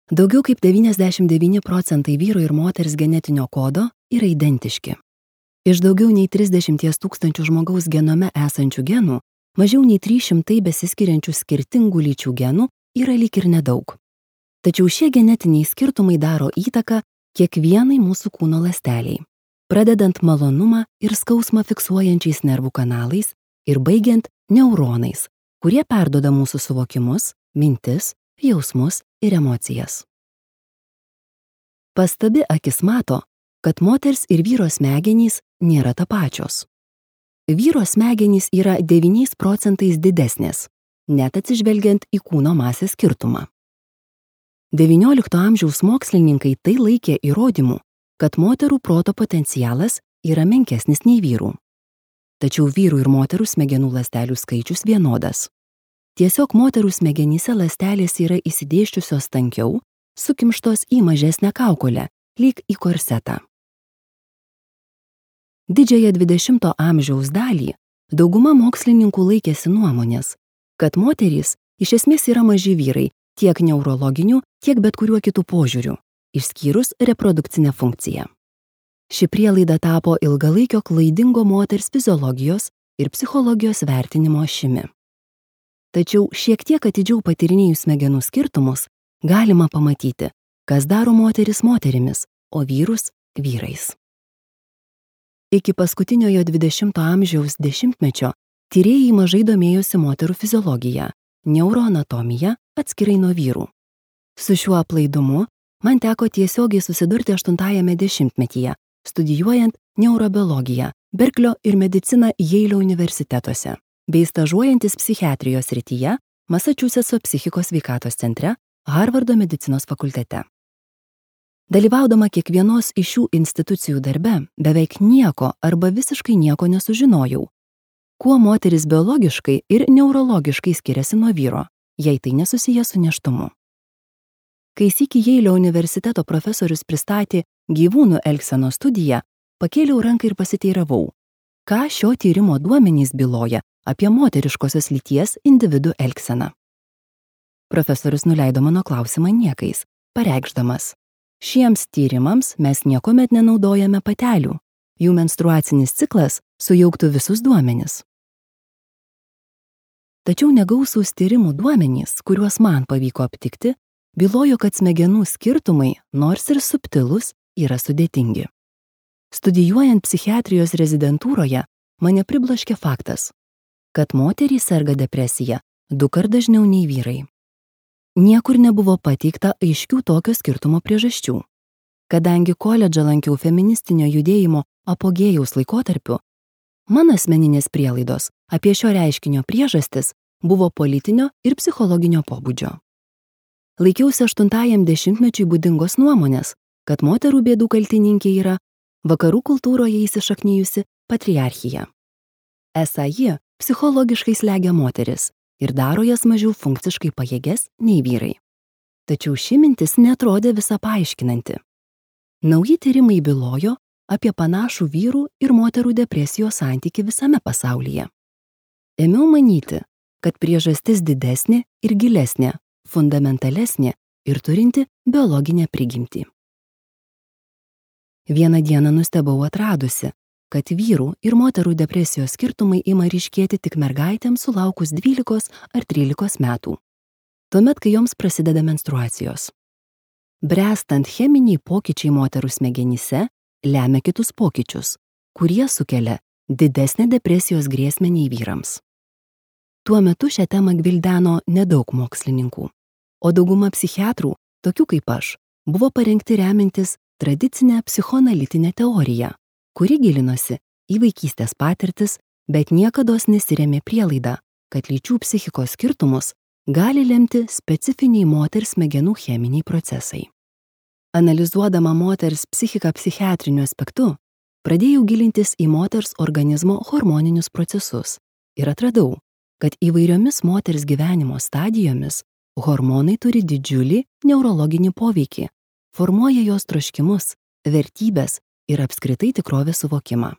Daugiau kaip 99% vyro ir moters genetinio kodo yra identiški. Iš daugiau nei 30 000 žmogaus genome esančių genų, mažiau nei 300 besiskiriančių skirtingų lyčių genų yra lyg ir nedaug. Tačiau šie genetiniai skirtumai daro įtaką kiekvienai mūsų kūno ląsteliai, pradedant malonumą ir skausmą fiksuojančiais nervų kanalais ir baigiant neuronais, kurie perduoda mūsų suvokimus, mintis, jausmus ir emocijas. Pastabi akis mato, kad moters ir vyro smegenys nėra tapačios. Vyro smegenys yra 9% didesnės, net atsižvelgiant į kūno masės skirtumą. XIX amžiaus mokslininkai tai laikė įrodymu, kad moterų proto potencialas yra menkesnis nei vyrų. Tačiau vyrų ir moterų smegenų ląstelių skaičius vienodas. Tiesiog moterų smegenyse ląstelės yra įsidėsčiusios tankiau, sukimštos į mažesnę kaukolę, lyg į korsetą. Didžiąją 20 amžiaus dalį dauguma mokslininkų laikėsi nuomonės, kad moterys iš esmės yra maži vyrai tiek neurologinių, tiek bet kuriuo kitų požiūrių, išskyrus reprodukcinę funkciją. Ši prielaida tapo ilgalaikio klaidingo moters fiziologijos ir psichologijos vertinimo ašimi. Tačiau šiek tiek atidžiau patyrinėjus smegenų skirtumus, galima pamatyti, kas daro moteris moterimis, o vyrus vyrais. Iki paskutiniojo 20 amžiaus dešimtmečio tyrėjai mažai domėjosi moterų fiziologija, neuroanatomija atskirai nuo vyrų. Su šiuo aplaidumu man teko tiesiogiai susidurti 80-ame dešimtmetyje, studijuojant neurobiologiją, Berklio ir mediciną Jeilio universitetuose, bei stažuojantis psichiatrijos srityje Masačusetso psichikos sveikatos centre, Harvardo medicinos fakultete. Dalyvaudama kiekvienos iš šių institucijų darbe, beveik nieko arba visiškai nieko nesužinojau, kuo moteris biologiškai ir neurologiškai skiriasi nuo vyro, jei tai nesusiję su nėštumu. Kai sykį Jeilio universiteto profesorius pristatė gyvūnų elgsenos studiją, pakėliau ranką ir pasiteiravau, ką šio tyrimo duomenys byloja apie moteriškosios lyties individų elgseną. Profesorius nuleido mano klausimą niekais, pareikšdamas: šiems tyrimams mes niekuomet nenaudojame patelių, jų menstruacinis ciklas sujauktų visus duomenis. Tačiau negausūs tyrimų duomenys, kuriuos man pavyko aptikti, bylojo, kad smegenų skirtumai, nors ir subtilūs, yra sudėtingi. Studijuojant psichiatrijos rezidentūroje, mane pribloškė faktas, kad moterys serga depresija 2 kart dažniau nei vyrai. Niekur nebuvo pateikta aiškių tokio skirtumo priežasčių. Kadangi koledžą lankiau feministinio judėjimo apogėjaus laikotarpiu, mano asmeninės prielaidos apie šio reiškinio priežastis buvo politinio ir psichologinio pobūdžio. Laikiausi 8-ajam dešimtmečiui būdingos nuomonės, kad moterų bėdų kaltininkė yra vakarų kultūroje įsišaknijusi patriarchija. Esą ji psichologiškai slegia moteris ir daro jas mažiau funkciškai pajėges nei vyrai. Tačiau ši mintis neatrodė visą paaiškinanti. Nauji tyrimai bylojo apie panašų vyrų ir moterų depresijos santykį visame pasaulyje. Ėmiau manyti, kad priežastis didesnė ir gilesnė, fundamentalesnė ir turinti biologinę prigimtį. Vieną dieną nustebau atradusi, kad vyrų ir moterų depresijos skirtumai ima ryškėti tik mergaitėms sulaukus 12 ar 13 metų, tuomet, kai joms prasideda menstruacijos. Bręstant cheminiai pokyčiai moterų smegenyse lemia kitus pokyčius, kurie sukelia didesnę depresijos grėsmę nei vyrams. Tuo metu šią temą gvildeno nedaug mokslininkų, o dauguma psichiatrų, tokių kaip aš, buvo parengti remintis tradicinę psichoanalitinę teoriją, kuri gilinosi į vaikystės patirtis, bet niekados nesirėmė prielaidą, kad lyčių psichikos skirtumus gali lemti specifiniai moters smegenų cheminiai procesai. Analizuodama moters psichiką psichiatriniu aspektu, pradėjau gilintis į moters organizmo hormoninius procesus ir atradau, kad įvairiomis moters gyvenimo stadijomis hormonai turi didžiulį neurologinį poveikį, formuoja jos troškimus, vertybes ir apskritai tikrovės suvokimą.